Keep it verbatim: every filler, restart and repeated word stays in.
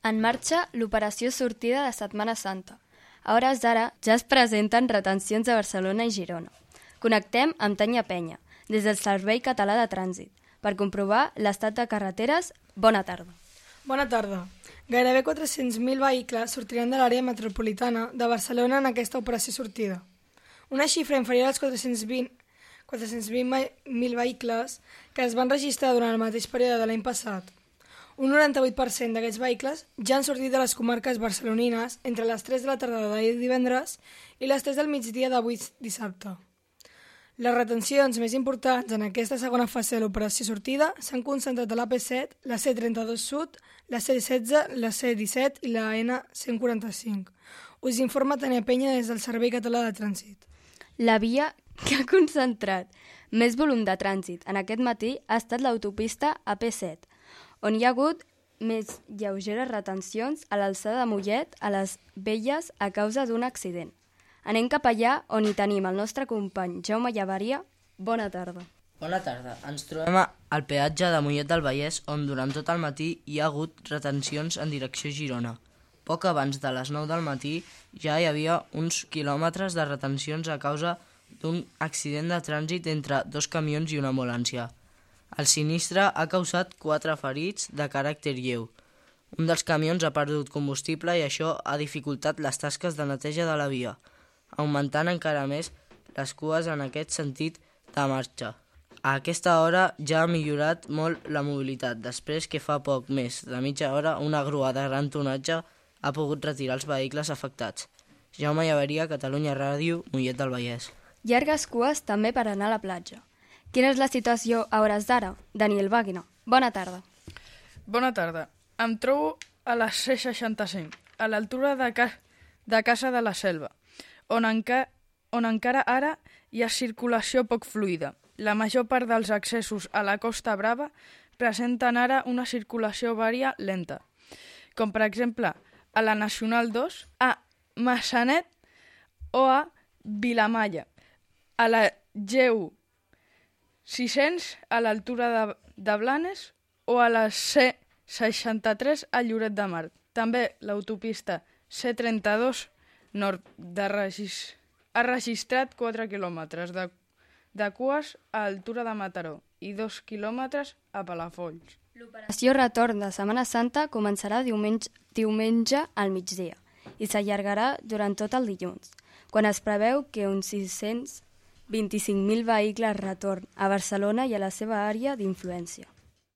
En marxa l'operació sortida de Setmana Santa. A hores d'ara ja es presenten retencions a Barcelona i Girona. Connectem amb Tania Penya, des del Servei Català de Trànsit, per comprovar l'estat de carreteres. Bona tarda. Bona tarda. Gairebé quatre-cents mil vehicles sortiran de l'àrea metropolitana de Barcelona en aquesta operació sortida. Una xifra inferior als quatre-cents vint mil vehicles que es van registrar durant el mateix període de l'any passat. Un noranta-vuit per cent d'aquests vehicles ja han sortit de les comarques barcelonines entre les tres de la tarda d'ahir divendres i les tres del migdia d'avui dissabte. Les retencions més importants en aquesta segona fase de l'operació sortida s'han concentrat a l'A P set, la C trenta-dos Sud, la C setze, la C disset i la N cent quaranta-cinc. Us informa Tania Penya des del Servei Català de Trànsit. La via que ha concentrat més volum de trànsit en aquest matí ha estat l'autopista A P set, on hi ha hagut més lleugeres retencions a l'alçada de Mollet a les Velles a causa d'un accident. Anem cap allà on hi tenim el nostre company Jaume Llaveria. Bona tarda. Bona tarda. Ens trobem al peatge de Mollet del Vallès, on durant tot el matí hi ha hagut retencions en direcció a Girona. Poc abans de les nou del matí ja hi havia uns quilòmetres de retencions a causa d'un accident de trànsit entre dos camions i una ambulància. El sinistre ha causat quatre ferits de caràcter lleu. Un dels camions ha perdut combustible i això ha dificultat les tasques de neteja de la via, augmentant encara més les cues en aquest sentit de marxa. A aquesta hora ja ha millorat molt la mobilitat, després que fa poc més de mitja hora una grua de gran tonatge ha pogut retirar els vehicles afectats. Jaume Llaveria, Catalunya Ràdio, Mollet del Vallès. Llargues cues també per anar a la platja. Quina és la situació a hores d'ara? Daniel Wagner. Bona tarda. Bona tarda. Em trobo a la C seixanta-cinc, a l'altura de, ca... de Casa de la Selva, on, enca... on encara ara hi ha circulació poc fluida. La major part dels accessos a la Costa Brava presenten ara una circulació vària lenta, com per exemple a la Nacional dos, a Massanet o a Vilamalla, a la G u sis-cents a l'altura de, de Blanes o a la C seixanta-tres a Lloret de Mar. També l'autopista C trenta-dos nord de Regis... ha registrat quatre quilòmetres de, de cues a altura de Mataró i dos quilòmetres a Palafolls. L'operació retorn de Setmana Santa començarà diumenge, diumenge al migdia i s'allargarà durant tot el dilluns, quan es preveu que uns sis-cents vint-i-cinc mil vehicles retorn a Barcelona i a la seva àrea d'influència.